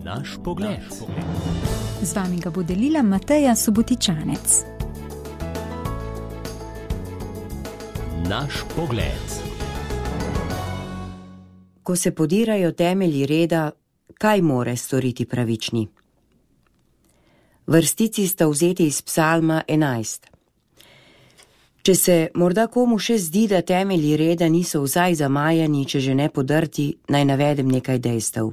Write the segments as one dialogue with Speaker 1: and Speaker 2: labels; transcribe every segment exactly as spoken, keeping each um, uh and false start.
Speaker 1: Naš pogled.
Speaker 2: Z vami ga bo delila Mateja Subotičanec.
Speaker 1: Naš pogled.
Speaker 3: Ko se podirajo temelji reda, kaj more storiti pravični? Vrstici sta vzeti iz Psalma enajst. Če se morda komu še zdi, da temelji reda niso vsaj zamajani, če že ne podrti, naj navedem nekaj dejstev.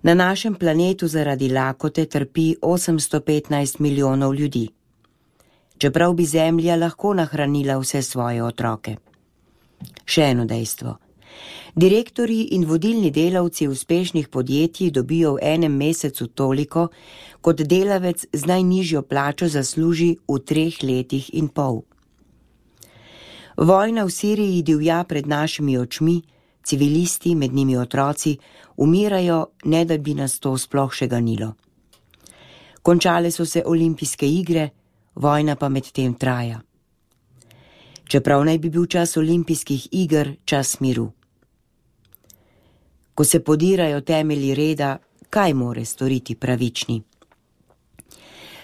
Speaker 3: Na našem planetu zaradi lakote trpi osemsto petnajst milijonov ljudi. Čeprav bi Zemlja lahko nahranila vse svoje otroke. Še eno dejstvo. Direktorji in vodilni delavci uspešnih podjetij dobijo v enem mesecu toliko, kot delavec z najnižjo plačo zasluži v treh letih in pol. Vojna v Siriji divja pred našimi očmi, civilisti, med njimi otroci, umirajo, ne da bi nas to sploh še ganilo. Končale so se olimpijske igre, vojna pa med tem traja. Čeprav naj bi bil čas olimpijskih iger čas miru. Ko se podirajo temelji reda, kaj more storiti pravični?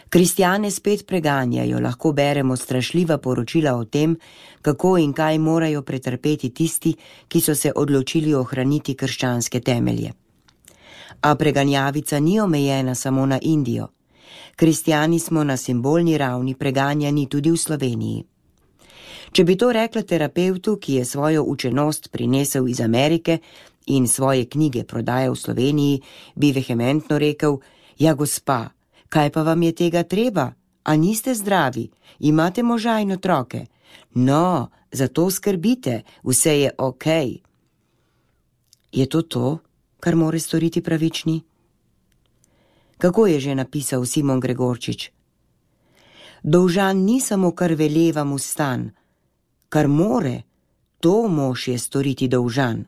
Speaker 3: Kristjane spet preganjajo, lahko beremo strašljiva poročila o tem, kako in kaj morajo pretrpeti tisti, ki so se odločili ohraniti krščanske temelje. A preganjavica ni omejena samo na Indijo. Kristjani smo na simbolni ravni preganjani tudi v Sloveniji. Če bi to rekla terapevtu, ki je svojo učenost prinesel iz Amerike in svoje knjige prodajal v Sloveniji, bi vehementno rekel: ja, gospa, kaj pa vam je tega treba? A niste zdravi? Imate moža in otroke? No, zato skrbite, vse je okej. Je to to, kar more storiti pravični? Kako je že napisal Simon Gregorčič? Dolžan ni samo, kar veleva mu stan, kar more, to mož je storiti dolžan.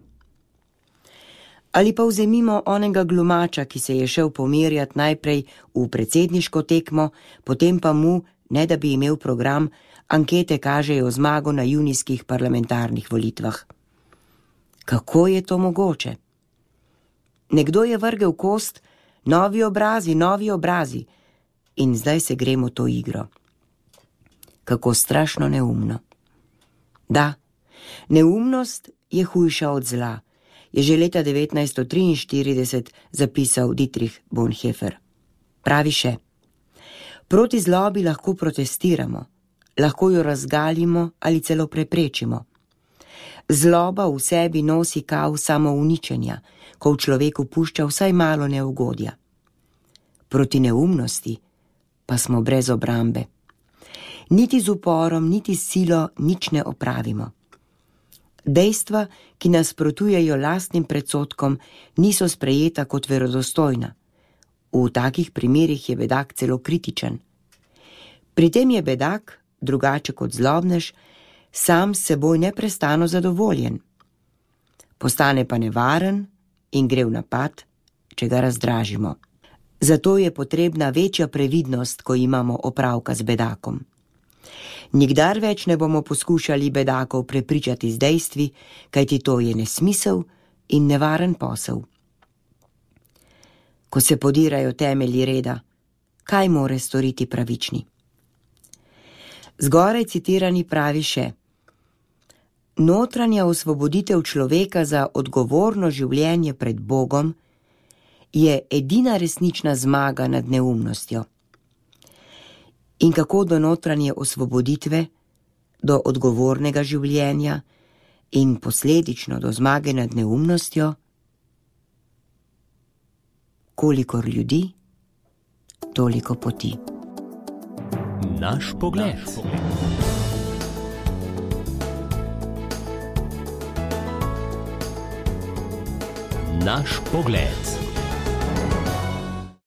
Speaker 3: Ali pa vzemimo onega glumača, ki se je šel pomirjati najprej v predsedniško tekmo, potem pa mu, ne da bi imel program, ankete kažejo zmago na junijskih parlamentarnih volitvah. Kako je to mogoče? Nekdo je vrgel kost, novi obrazi, novi obrazi, in zdaj se gremo to igro. Kako strašno neumno. Da, neumnost je hujša od zla, je že leta devetnajststo triinštirideset zapisal Dietrich Bonhoeffer. Pravi še: proti zlobi lahko protestiramo, lahko jo razgalimo ali celo preprečimo. Zloba v sebi nosi kav samouničenja, ko v človeku pušča vsaj malo neugodja. Proti neumnosti pa smo brez obrambe. Niti z uporom, niti s silo nič ne opravimo. Dejstva, ki nasprotujejo lastnim predsodkom, niso sprejeta kot verodostojna. V takih primerih je bedak celo kritičen. Pri tem je bedak, drugače kot zlobnež, sam s seboj neprestano zadovoljen. Postane pa nevaren in gre v napad, če ga razdražimo. Zato je potrebna večja previdnost, ko imamo opravka z bedakom. Nikdar več ne bomo poskušali bedakov prepričati z dejstvi, kajti to je nesmisel in nevaren posel. Ko se podirajo temelji reda, kaj more storiti pravični? Zgoraj citirani pravi še: notranja osvoboditev človeka za odgovorno življenje pred Bogom je edina resnična zmaga nad neumnostjo. In kako do notranje osvoboditve, do odgovornega življenja in posledično do zmage nad neumnostjo? Kolikor ljudi, toliko poti.
Speaker 1: Naš pogled. Naš pogled.